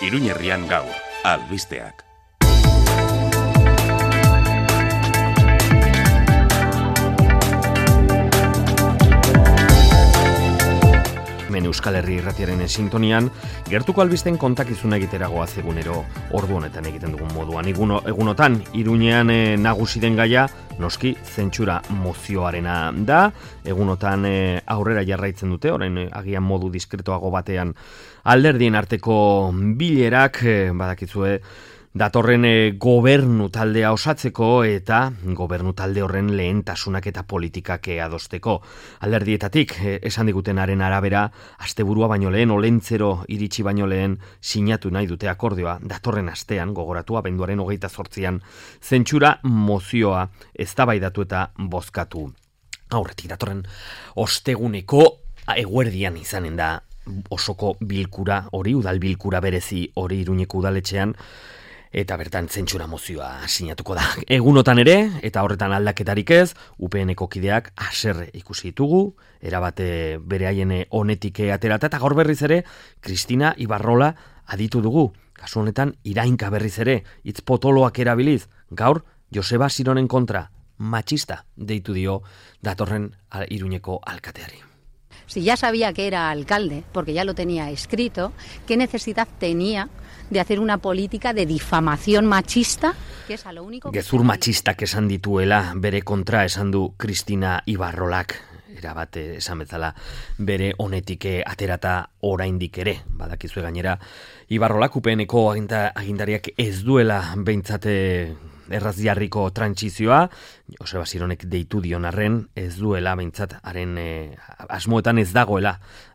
Iruñerrian gaur, albisteak. Euskal Herri Irratiaren sintonian, gertuko albisten kontakizuna egiteragoa egunero ordu honetan egiten dugun moduan. Egunotan, Iruñean nagusi den gaia, noski zentsura mozioarena da. Egunotan aurrera jarraitzen dute, orain agian modu diskretoago batean alderdien arteko bilerak, badakizue, datorren gobernu taldea osatzeko eta gobernu talde horren lehentasunak eta politikak adosteko. Alderdietatik, esan digutenaren arabera, asteburua baino lehen, olentzero iritsi baino lehen sinatu nahi dute akordioa, datorren astean, gogoratu, abenduaren 28an, zentsura mozioa eztabaidatu eta bozkatu. Aurretik datorren osteguneko eguerdian izanen da osoko bilkura hori, udal bilkura berezi hori Iruñeko udaletxean, eta bertan zentsura mozioa sinatuko da. Egunotan ere, eta horretan aldaketarik ez, UPN-eko kideak haserre ikusi ditugu, erabate bere haien honetik aterata, eta gaur berriz ere, Kristina Ibarrola aditu dugu. Kasu honetan, irainka berriz ere, hitz potoloak erabiliz, gaur Joseba Sironen kontra, matxista deitu dio datorren Iruñeko alkateari. Si ya sabía que era alcalde, porque ya lo tenía escrito, ¿qué necesidad tenía de hacer una política de difamación machista? Que es a lo único que... Gezur matxistak esan dituela bere kontra esan du Kristina Ibarrolak. Erabate esan bezala bere honetik aterata oraindik ere. Badakizue gainera, Ibarrolak UPN-eko agindariak ez duela behintzate erraz jarriko trantsizioa, Joseba Sironek deitu dion arren, ez duela behintzat haren asmoetan ez dagoela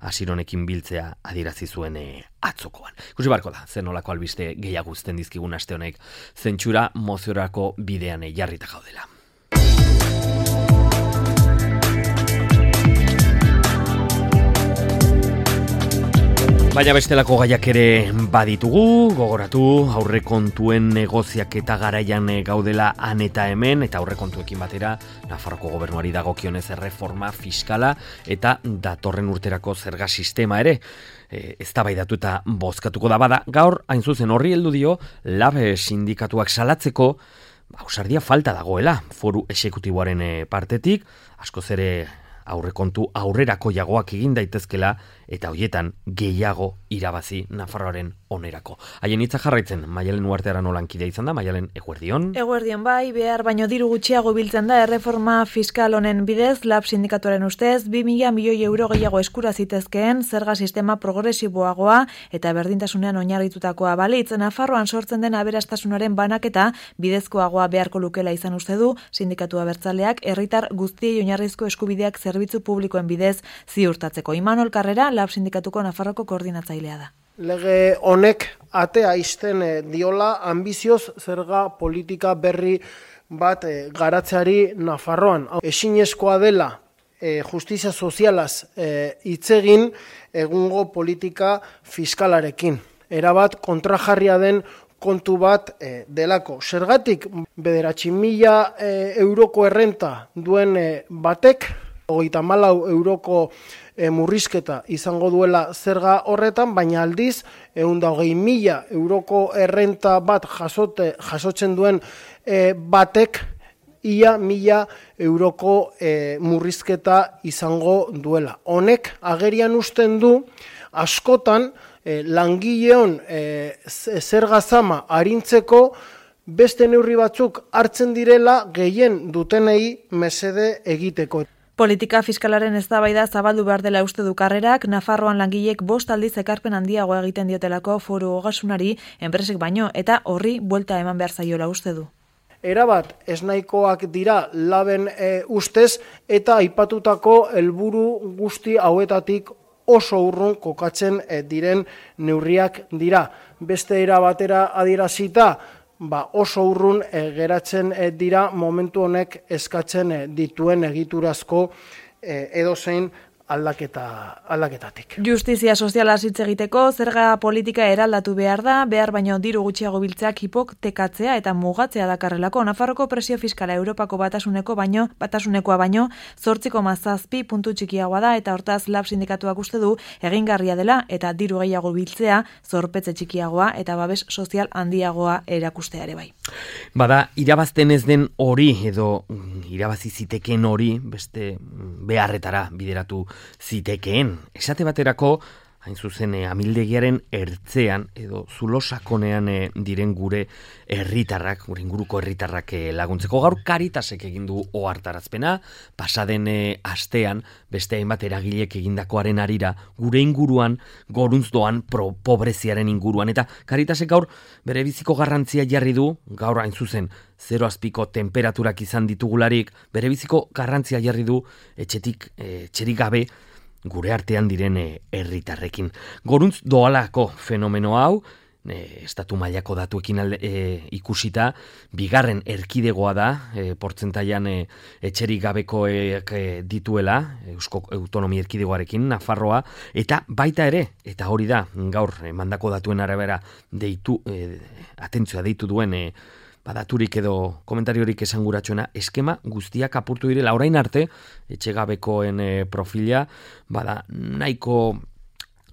Sironekin biltzea adierazi zuen atzokoan. Ikusi barko da, zen nolako albiste gehiago uzten dizkigun aste honek zentsura moziorako bidean jarrita gaudela. Baina bestelako gaiak ere baditugu, gogoratu, aurrekontuen negoziak eta garaian gaudela han eta hemen, eta aurrekontuekin batera, Nafarroko gobernuari dagokionez erreforma fiskala eta datorren urterako zerga sistema ere, eztabaidatu eta bozkatuko da bada. Gaur, hain zuzen horri heldu dio, LAB sindikatuak salatzeko, ausardia falta dagoela, foru exekutiboaren partetik, askoz ere aurrekontu aurrerako jagoak egin daitezkela eta hoietan gehiago irabazi Nafarroaren onerako. Haien hitza jarraitzen, Maialen Uarteara nolankidea izan da, Maialen, eguerdion? Eguerdion bai, behar baino diru gutxiago biltzen da erreforma fiskal honen bidez, LAB sindikatuaren ustez, 2.000 milioi euro gehiago eskura zitezkeen zerga sistema progresiboagoa eta berdintasunean oinarritutakoa balitz. Nafarroan sortzen den aberastasunaren banaketa bidezkoagoa beharko lukela izan uste du, sindikatu abertzaleak herritar guztiei oinarrizko eskubideak zerbitzu publikoen bidez ziurtatzeko. Imanol Karrera, LAB sindikatuko Nafarroko koordinatzailea da. Lege honek atea ixten diola ambizioz zerga politika berri bat garatzeari Nafarroan. Ezinezkoa dela justizia sozialaz hitz egin egungo politika fiskalarekin. Erabat kontrajarria den kontu bat delako. Zergatik 9.000 euroko errenta duen batek, 34 euroko murrizketa izango duela zerga horretan, baina aldiz 120.000 euroko errenta bat jasotzen duen batek ia 1.000 euroko murrizketa izango duela. Honek agerian uzten du askotan langileon zerga zama arintzeko beste neurri batzuk hartzen direla gehien dutenei mesede egiteko. Politika fiskalaren eztabaida zabaldu behar dela uste du Karrerak, Nafarroan langilek 5 aldiz ekarpen handiago egiten diotelako foru ogasunari, enpresek baino, eta horri buelta eman behar zaiola uste du. Erabat esnaikoak dira LABen ustez, eta aipatutako helburu guzti hauetatik oso urrun kokatzen diren neurriak dira. Beste era batera adierazita, oso urrun geratzen dira momentu honek eskatzen dituen egiturazko edozein aldaketatik. Justizia soziala hitz egiteko, zerga politika eraldatu behar da, behar baino diru gutxiago biltzeak hipotekatzea eta mugatzea dakarrelako. Nafarroko presio fiskala Europako batasunekoa baino 8,7 puntu txikiagoa da, eta hortaz lab sindikatuak uste du egingarria dela eta diru gehiago biltzea zorpetze txikiagoa eta babes sozial handiagoa erakustea ere bai. Bada, irabazten ez den hori edo irabazi zitekeen hori beste beharretara bideratu zitekeen. Esate baterako, hain zuzen amildegiaren ertzean edo zulo sakonean diren gure herritarrak, gure inguruko herritarrak laguntzeko. Gaur Caritasek egin du ohartarazpena, pasaden astean beste hainbat eragilek egindakoaren harira gure inguruan goruntz doan pobreziaren inguruan, eta Caritasek gaur bere biziko garrantzia jarri du, gaur hain zuzen 0 azpiko temperaturak izan ditugularik, bere biziko garrantzia jarri du etxerik gabe gure artean diren herritarrekin. Goruntz doalako fenomeno hau, estatu mailako datuekin ikusita, bigarren erkidegoa da, portzentaian etxerik gabekoek dituela, Eusko Autonomia Erkidegoarekin, Nafarroa, eta baita ere, eta hori da, gaur mandako datuen arabera atentzioa deitu duen badaturik edo komentariorik esanguratsuena, eskema guztiak apurtu direla. Orain arte, etxegabekoen profila, nahiko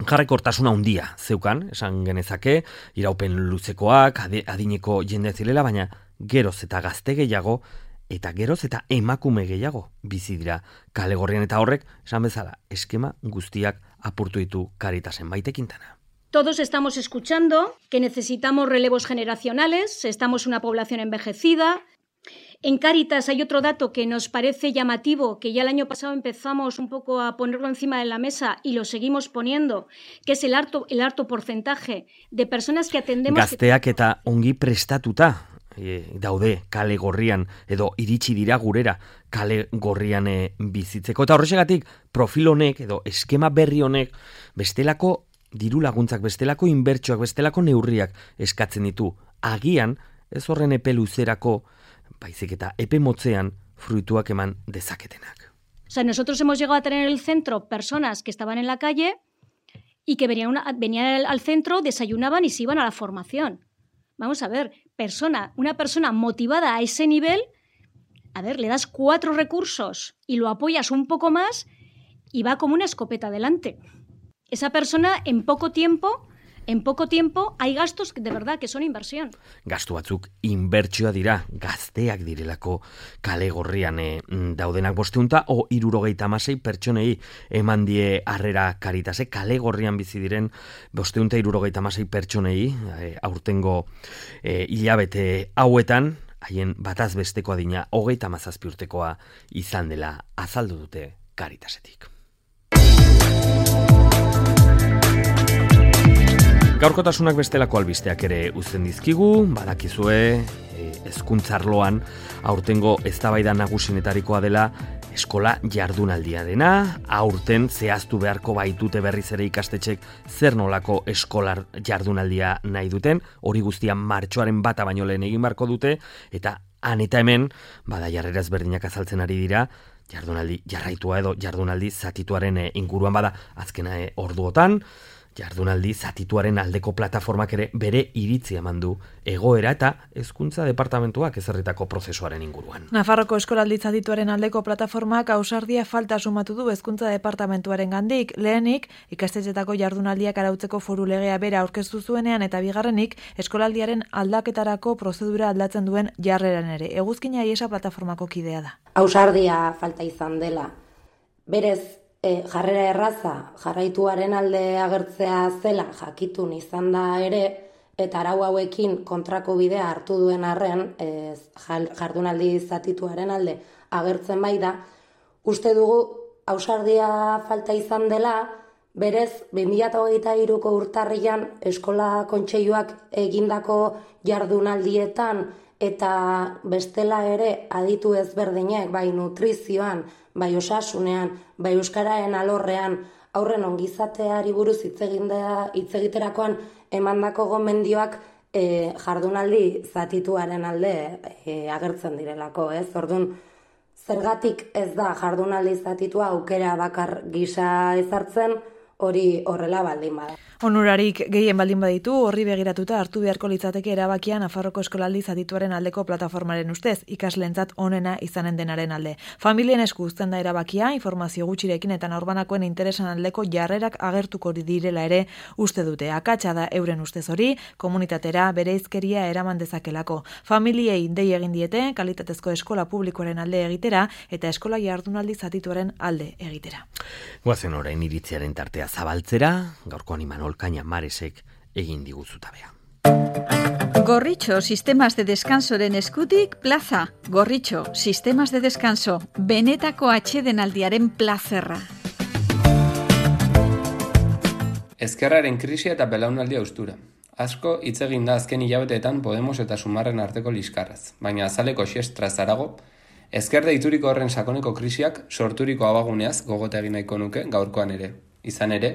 jarrekortasuna handia zeukan, esan genezake, iraupen luzekoak, adineko jende zirela, baina geroz eta gazte gehiago, eta geroz eta emakume gehiago bizi dira kale gorrian, eta horrek, esan bezala, eskema guztiak apurtu ditu Caritasen. Maite Quintana. Todos estamos escuchando que necesitamos relevos generacionales, estamos una población envejecida. En Cáritas hay otro dato que nos parece llamativo, que ya el año pasado empezamos un poco a ponerlo encima de la mesa y lo seguimos poniendo, que es el alto porcentaje de personas que atendemos... Gazteak eta ongi prestatuta daude kale gorrian edo iritsi dira gurera kale gorrian bizitzeko. Eta horrexegatik profil honek edo eskema berri honek bestelako diru laguntzak, bestelako inbertsioak, bestelako neurriak eskatzen ditu. Agian, ez horren epe luzerako, baizik eta epe motzean fruituak eman dezaketenak. O sea, nosotros hemos llegado a tener en el centro personas que estaban en la calle y que venían al centro, desayunaban y se iban a la formación. Vamos a ver, una persona motivada a ese nivel, a ver, le das 4 recursos y lo apoyas un poco más y va como una escopeta adelante. Esa persona en poco tiempo hay gastos de verdad que son inversión. Gastu batzuk inbertsioa dira, gazteak direlako kale gorrian daudenak 576 pertsonei eman die harrera Caritasek, kale gorrian bizi diren 576 pertsonei aurtengo hilabete hauetan, haien bataz besteko adina 37 urtekoa izan dela azaldu dute Caritasetik. Gaurkotasunak bestelako albisteak ere uzten dizkigu, badakizue hezkuntza arloan aurtengo eztabaida nagusienetarikoa dela eskola jardunaldia dena. Aurten zehaztu beharko baitute berriz ere ikastetxek zer nolako eskolar jardunaldia nahi duten, hori guztian martxoaren 1 baino lehen egin beharko dute, eta han eta hemen jarrera ezberdinak azaltzen ari dira, jardunaldi jarraitua edo jardunaldi zatituaren inguruan azkena orduotan, jardunaldi zatituaren aldeko plataformak ere bere iritzia eman du egoera eta hezkuntza departamentuak ezarritako prozesuaren inguruan. Nafarroko eskolaldi zatituaren aldeko plataformak ausardia falta sumatu du hezkuntza departamentuaren gandik. Lehenik, ikastetxetako jardunaldiak arautzeko foru legea bera aurkeztu zuenean, eta bigarrenik, eskolaldiaren aldaketarako prozedura aldatzen duen jarreran ere. Eguzkina Iesa plataformako kidea da. Ausardia falta izan dela. Berez, jarrera erraza, jarraituaren alde agertzea zela jakitun izan da ere, eta arau hauekin kontrako bidea hartu duen arren, jardunaldi zatituaren alde agertzen bai da, uste dugu ausardia falta izan dela, berez 2023ko urtarrian eskola kontseiluak egindako jardunaldietan eta bestela ere aditu ezberdinek, bai nutrizioan, bai osasunean, bai euskararen alorrean, aurren ongizateari buruz hitz egiterakoan emandako gomendioak jardunaldi zatituaren alde agertzen direlako, ez? Orduan, Zergatik ez da jardunaldi zatitua aukera bakar gisa ezartzen, hori horrela baldin bada. Onurarik gehien baldin baditu, horri begiratuta hartu beharko litzateke erabakia Nafarroko eskolaldi zatituaren aldeko plataformaren ustez, ikasleentzat onena izanen denaren alde. Familien esku uzten da erabakia, informazio gutxirekin eta norbanakoen interesan aldeko jarrerak agertuko direla ere uste dute. Akatsa da euren ustez hori, komunitatera bereizkeria eraman dezakelako. Familiei dei egin diete, kalitatezko eskola publikoaren alde egitera eta eskola jardunaldi zatituaren alde egitera. Goazen orain iritziaren tartea zabaltzera, gaurkoan Imanol Caña Maresek egin diguzutabea. Gorritxo Sistemas de Descansoren eskutik plaza. Gorritxo Sistemas de Descanso, benetako atsedenaldiaren plazerra. Ezkerraren krisia eta belaunaldia austura. Asko hitz egin da azken hilabeteetan Podemos eta Sumarren arteko liskarraz, baina azaleko xestraz harago, ezker deituriko horren sakoneko krisiak sorturiko abaguneaz gogote egin nahiko nuke gaurkoan ere. Izan ere,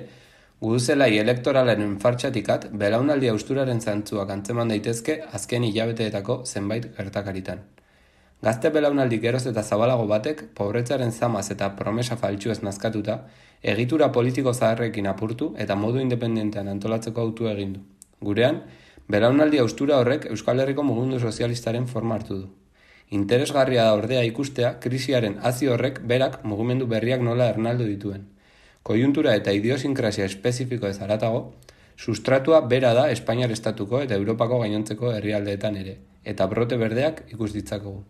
guduzelai elektoralaren fartxatikat belaunaldi austuraren zantzuak antzeman daitezke azken hilabeteetako zenbait gertakaritan. Gazte belaunaldi geroz eta zabalago batek, pobretzaren zamaz eta promesa faltsuez nazkatuta, egitura politiko zaharrekin apurtu eta modu independentean antolatzeko autu egin du. Gurean, belaunaldi austura horrek Euskal Herriko mugimendu sozialistaren forma hartu du. Interesgarria da ordea ikustea krisiaren hazi horrek berak mugimendu berriak nola ernaldu dituen. Koiuntura eta idiosinkrasia espezifiko ez haratago, sustratua bera da Espainiar estatuko eta Europako gainontzeko herrialdeetan ere, eta brote berdeak ikus ditzakogu.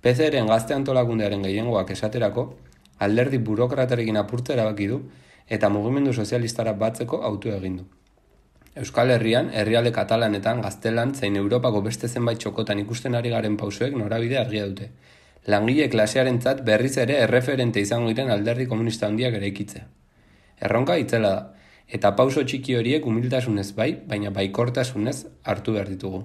PCren gazte antolakundearen gehiengoak esaterako, alderdi burokratarekin apurtza erabaki du eta mugimendu sozialistara batzeko autu egin du. Euskal Herrian, herrialde katalanetan, gaztelan, zein Europako beste zenbait txokotan ikusten ari garen pausoek norabide argia dute. Langile klasearentzat berriz ere erreferente izango diren alderdi komunista handiak eraikitzea. Erronka itzela da, eta pauso txiki horiek humiltasunez bai, baina baikortasunez hartu behar ditugu.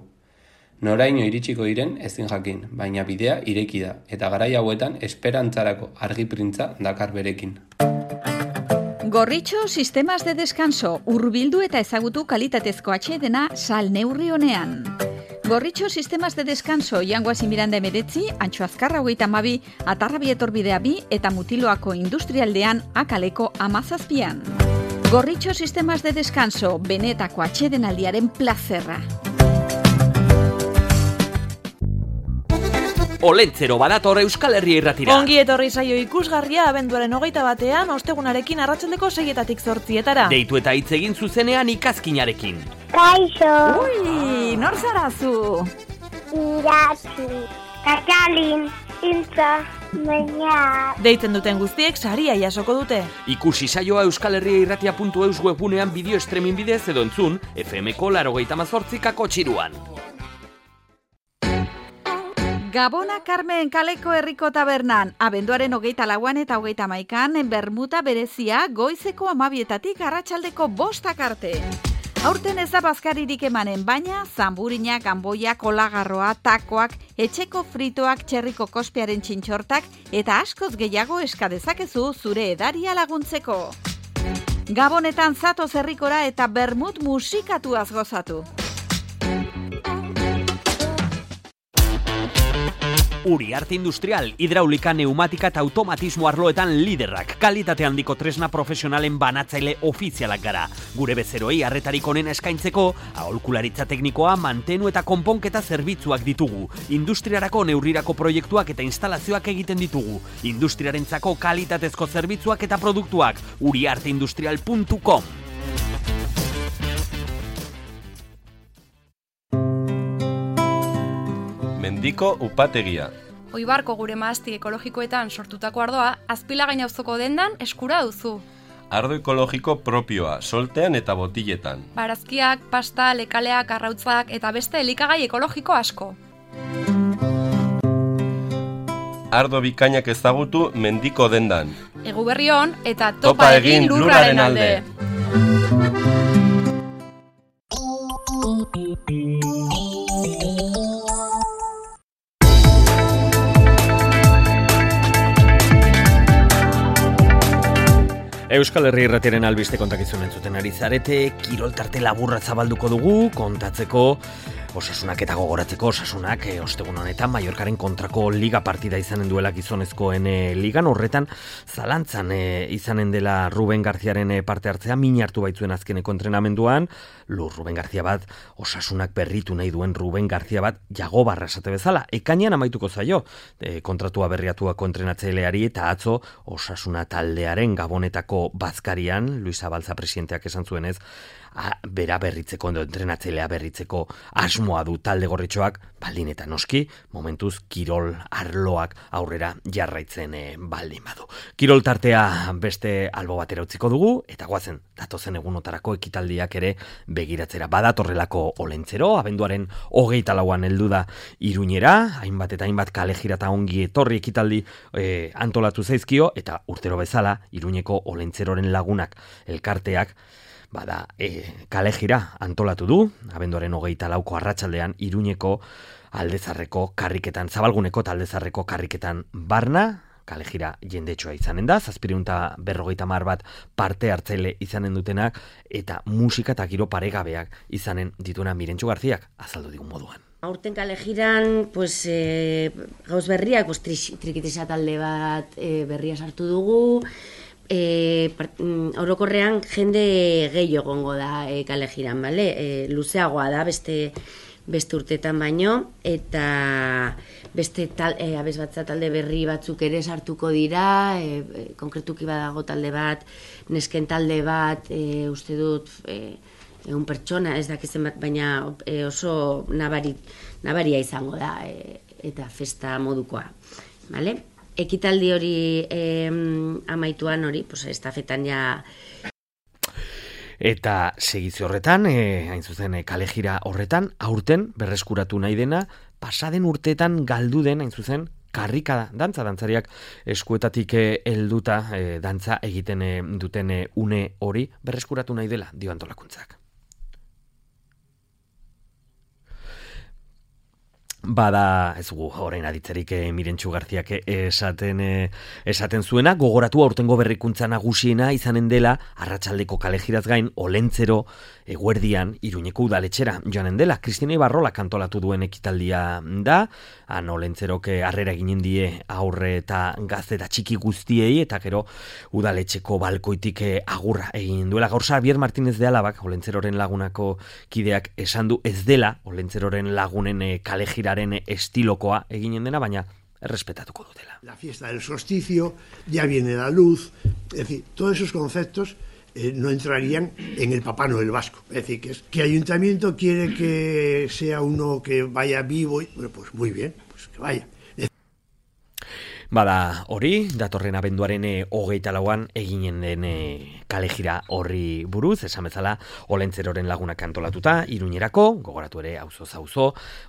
Noraino iritsiko diren ezin jakin, baina bidea ireki da, eta garai hauetan esperantzarako argi printza dakar berekin. Gorritxo Sistemas de Descanso, hurbildu eta ezagutu kalitatezko atsedena sal neurri honean. Gorritxo Sistemas de Descanso, Jangoasi Miranda 19, Antxo Azkarra 32, Atarrabi etorbidea 2 eta Mutiloako industrialdean Akaleko 17. Gorritxo Sistemas de Descanso, benetako atsedenaldiaren plazerra. Olentzero badator Euskal Herria irratira. Ongi etorri saio ikusgarria abenduaren 21 ostegunarekin arratsaldeko 6-etatik 8-etara. Deitu eta hitz egin zuzenean ikazkinarekin. Kaixo. Ui, nor zarazu? Iratzi. Katalin. Iltza. Baina. Deitzen duten guztiek saria jasoko dute. Ikusi saioa euskalherriairratia.eus webunean bideo streaming bidez edo entzun FM-ko 98 txiruan. Gabona Carmen kaleko herriko tabernan, abenduaren 24 eta 31 bermuta berezia goizeko 12etatik arratsaldeko 5 arte. Aurten ez da bazkaririk emanen, baina zanburinak, anboiak, olagarroa, takoak, etxeko fritoak, txerriko kospiaren txintxortak eta askoz gehiago eska dezakezu zure edaria laguntzeko. Gabonetan zatoz herrikora eta bermut musikatuaz gozatu. Uriarte Industrial, hidraulika, neumatika eta automatismo arloetan liderrak. Kalitate handiko tresna profesionalen banatzaile ofizialak gara. Gure bezeroi arretarik onena eskaintzeko, aholkularitza teknikoa, mantenu eta konponketa zerbitzuak ditugu. Industriarako neurirako proiektuak eta instalazioak egiten ditugu. Industriarentzako kalitatezko zerbitzuak eta produktuak. uriarteindustrial.com. Mendiko upategia. Oibarko gure mahasti ekologikoetan sortutako ardoa, Azpilagain auzoko dendan eskura duzu. Ardo ekologiko propioa, soltean eta botiletan. Barazkiak, pasta, lekaleak, arrautzak eta beste elikagai ekologiko asko. Ardo bikainak ezagutu Mendiko dendan. Eguberri on eta topa egin lurraren alde. Euskal Herri irratiaren albiste kontakizun entzuten ari zarete, kirol tarte laburra zabalduko dugu, kontatzeko Osasunak eta gogoratzeko Osasunak ostegun honetan Mallorcaren kontrako liga partida izanen duela gizonezkoen ligan, horretan zalantzan izanen dela Ruben Garziaren parte hartzea, min hartu baitzuen azkeneko entrenamenduan, Ruben Garzia bat, Osasunak berritu nahi duen Ruben Garzia bat, Jagobarra esate bezala, ekainean amaituko zaio, kontratua berriatuako entrenatzaileari eta atzo Osasuna taldearen Gabonetako bazkarian, Luis Abalza presidenteak esan zuenez, bera berritzeko, entrenatzailea berritzeko asmoa du talde gorritxoak, baldin eta noski, momentuz kirol arloak aurrera jarraitzen baldin badu. Kirol tartea beste albo batera utziko dugu, eta goazen, datozen egunotarako ekitaldiak ere begiratzera. Badatorrelako Olentzero, abenduaren 24an heldu da Iruñera, hainbat eta hainbat kalejira eta ongi etorri ekitaldi antolatu zaizkio, eta urtero bezala Iruñeko Olentzeroren lagunak elkarteak kalejira antolatu du, abenduaren 24ko arratsaldean Iruñeko Aldezarreko karriketan, Zabalguneko eta Aldezarreko karriketan barna, kalejira jendetsua izanen da, 750 bat parte hartzaile izanen dutenak, eta musika eta giro paregabeak izanen dituena Mirentxu Garziak azaldu digun moduan. Aurten kalejiran, gauz berriak, trikitisa talde bat berria sartu dugu, orokorrean jende gehiago egongo da kalejiran, bale? Luzeagoa da beste urtetan baino, eta beste abesbatza talde berri batzuk ere sartuko dira, konkretuki badago talde bat, nesken talde bat, uste dut, egun pertsona, ez dakizen bat, baina oso nabaria izango da, eta festa modukoa, bale? Ekitaldi hori amaituan hori, estafetan ja... Eta segitze horretan, hain zuzen kalejira horretan, aurten berreskuratu nahi dena, pasaden urteetan galdu den, hain zuzen, karrikada, dantzariak eskuetatik helduta dantza egiten duten une hori berreskuratu nahi dela, dio antolakuntzak. Bada, ez gu, orain aditzerik Mirentxu Garziak esaten zuena, gogoratu aurtengo berrikuntza nagusiena izanen dela, arratsaldeko kalejiraz gain, Olentzero eguerdian Iruñeko udaletxera joanen dela. Kristina Ibarrola kantolatu duen ekitaldia da, han Olentzerok harrera eginen die aurre eta gazte eta txiki guztiei, eta gero udaletxeko balkoitik agurra egin duela. Gaur Xabier Martínez de Alabak, Olentzeroren lagunako kideak esan du ez dela Olentzeroren lagunen kalejiraren estilokoa eginen dena, baina errespetatuko dutela. La fiesta del solsticio, ya viene la luz, es decir, todos esos conceptos no entrarían en el Papá Noel vasco. Es decir, que ayuntamiento quiere que sea uno que vaya vivo, bueno, pues muy bien, pues que vaya. Bada hori, datorren abenduaren 24an eginen den kalejira horri buruz, esan bezala Olentzeroren lagunak antolatuta, Iruñerako, gogoratu ere auzo,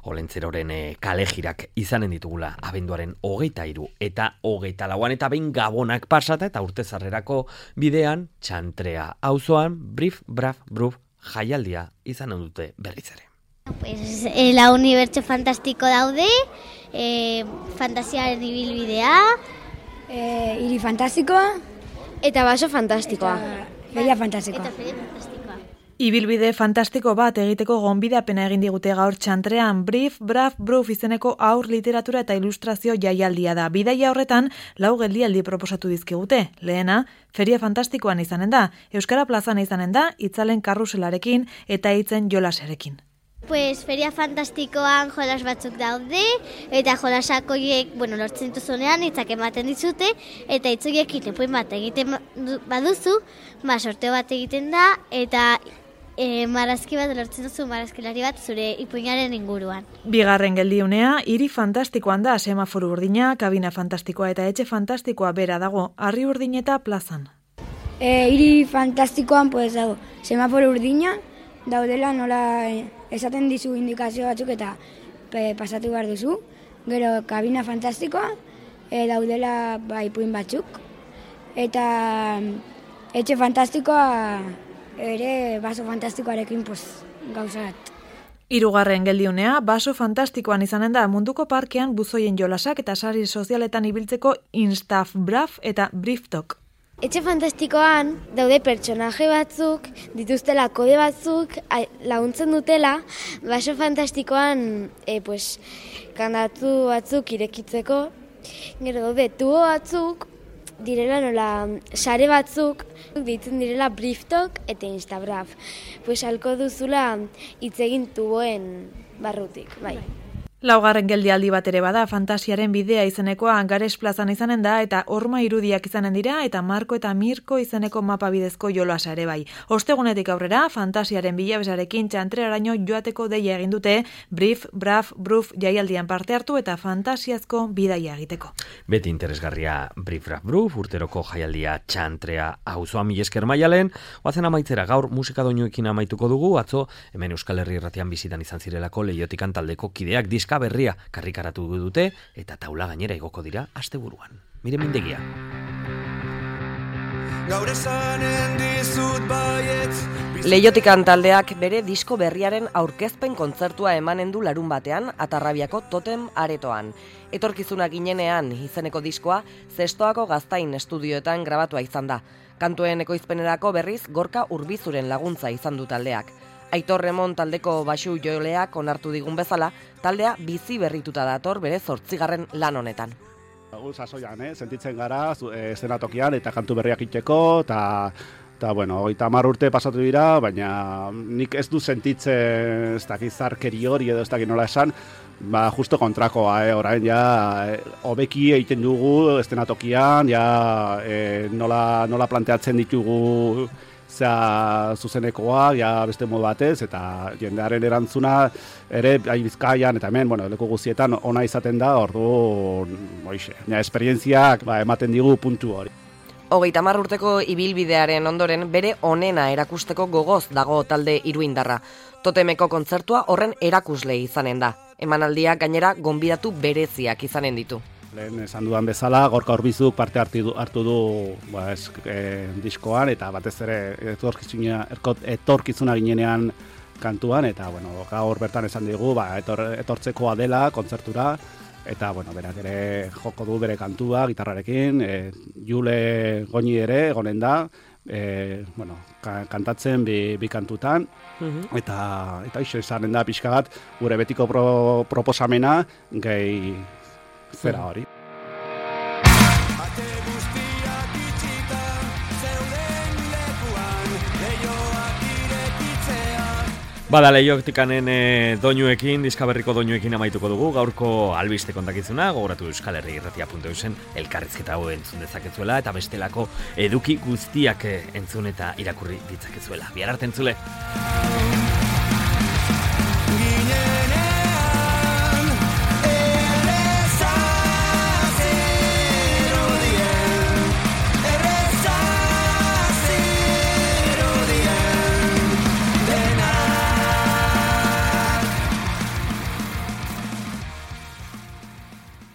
Olentzeroren kalejirak izanen ditugula abenduaren 23 eta 24an, eta behin gabonak pasata eta urtezarrerako bidean, Txantrea auzoan, Brif, Braf, Bruf, jaialdia izanen dute berriz ere. Pues la unibertso fantastiko daude, fantasiaren ibilbidea, hiri fantastikoa, eta baso fantastikoa. Feria fantastikoa. Eta feria fantastikoa. Ibilbide fantastiko bat egiteko gonbidapena egin digute gaur Txantrean, Brif, Braf, Bruf izeneko aur literatura eta ilustrazio jaialdia da. Bidaia horretan 4 geldialdi proposatu dizkigute. Lehena, feria fantastikoan izanen da, Euskara plazan izanen da, itzalen karruselarekin eta hitzen jolaserekin. Pues feria fantastikoan jolas batzuk daude, eta jolasak horiek, lortzen dituzunean hitzak ematen dizute, eta hitz horiekin ipuin bat egiten baduzu, sorteo bat egiten da, eta marrazki bat lortzen duzu, marrazkilari bat zure ipuinaren inguruan. Bigarren geldiunea, hiri fantastikoan da, semaforu urdina, kabina fantastikoa eta etxe fantastikoa bera dago, harri urdineta plazan. Hiri fantastikoan dago, semaforu urdina, daudela nola esaten dizu indikazio batzuk eta pasatu behar duzu. Gero kabina fantastikoa, daudela ipuin batzuk. Eta etxe fantastikoa ere baso fantastikoarekin gauzat. Hirugarren geldiunea, baso fantastikoan izanen da munduko parkean buzoien jolasak eta sari sozialetan ibiltzeko Instaf Braf eta Briftok. Etxe fantastikoan daude pertsonaje batzuk, dituztela kode batzuk, laguntzen dutela, baso fantastikoan kandatu batzuk irekitzeko, gero daude tubo batzuk, direla nola sare batzuk, ditzen direla Brieftalk eta Instabraf. Halko duzula hitz egin tuboen barrutik, bai. Laugarren geldialdi bat ere bada, Fantasiaren bidea izenekoa Gares plazan izanen da eta horma irudiak izanen dira eta Marko eta Mirko izeneko mapa bidezko jolasa ere bai. Ostegunetik aurrera, Fantasiaren bilabesarekin txantreraino joateko deia egin dute, Brief, Braf, Bruf jaialdian parte hartu eta fantasiazko bidaia egiteko. Beti interesgarria Brief, Braf, Bruf, urteroko jaialdia txantrea auzoa mila esker Maialen, oazen amaitzera gaur musika doinuekin amaituko dugu, atzo hemen Euskal Herri irratian bizitan izan zirelako Leiotikan taldeko kideak diska berria karrikaratu dute eta taula gainera igoko dira asteburuan. Mire mindegia. Leiotikan taldeak bere disko berriaren aurkezpen kontzertua emanen du larun batean Atarrabiako Totem aretoan. Etorkizuna ginenean izeneko diskoa Zestoako Gaztain estudioetan grabatua izan da. Kantuen ekoizpenerako berriz Gorka Urbizuren laguntza izan du taldeak. Aitor Remon taldeko baxu joleak onartu digun bezala, taldea bizi berrituta dator bere 8. lan honetan. Sasoian, sentitzen gara, eszenatokian eta kantu berriak itxeko, eta bueno, 30 urte pasatu dira, baina nik ez du sentitzen ez dakit zarkeri hori edo ez dakit nola esan, justo kontrakoa, orain hobeki egiten dugu eszenatokian, nola planteatzen ditugu zuzenekoa, beste modu batez, eta jendearen erantzuna ere Bizkaian eta hemen, leku guztietan ona izaten da, orduan, esperientziak ematen digu puntu hori. 30 urteko ibilbidearen ondoren bere onena erakusteko gogoz dago talde iruindarra. Totemeko kontzertua horren erakusle izanen da. Emanaldiak gainera gonbidatu bereziak izanen ditu. Lehen esan dudan bezala, Gorka Urbizuk parte hartu du diskoan, eta batez ere etorkizuna ginenean kantuan, eta gaur bertan esan digu, etortzekoa dela kontzertura, eta berak ere joko du bere kantua gitarrarekin, Jule Goñi ere egonen da, kantatzen bi kantutan, eta iso izanen da pixka bat gure betiko proposamena gehi zera hori. Bada Leiotikanen doinuekin, diskaberriko doinuekin amaituko dugu, gaurko albiste kontakizuna, gogoratu euskalherriirratia.eusen elkarrizketa hau entzun dezakezuela, eta bestelako eduki guztiak entzun eta irakurri ditzakezuela. Bihar arte entzule!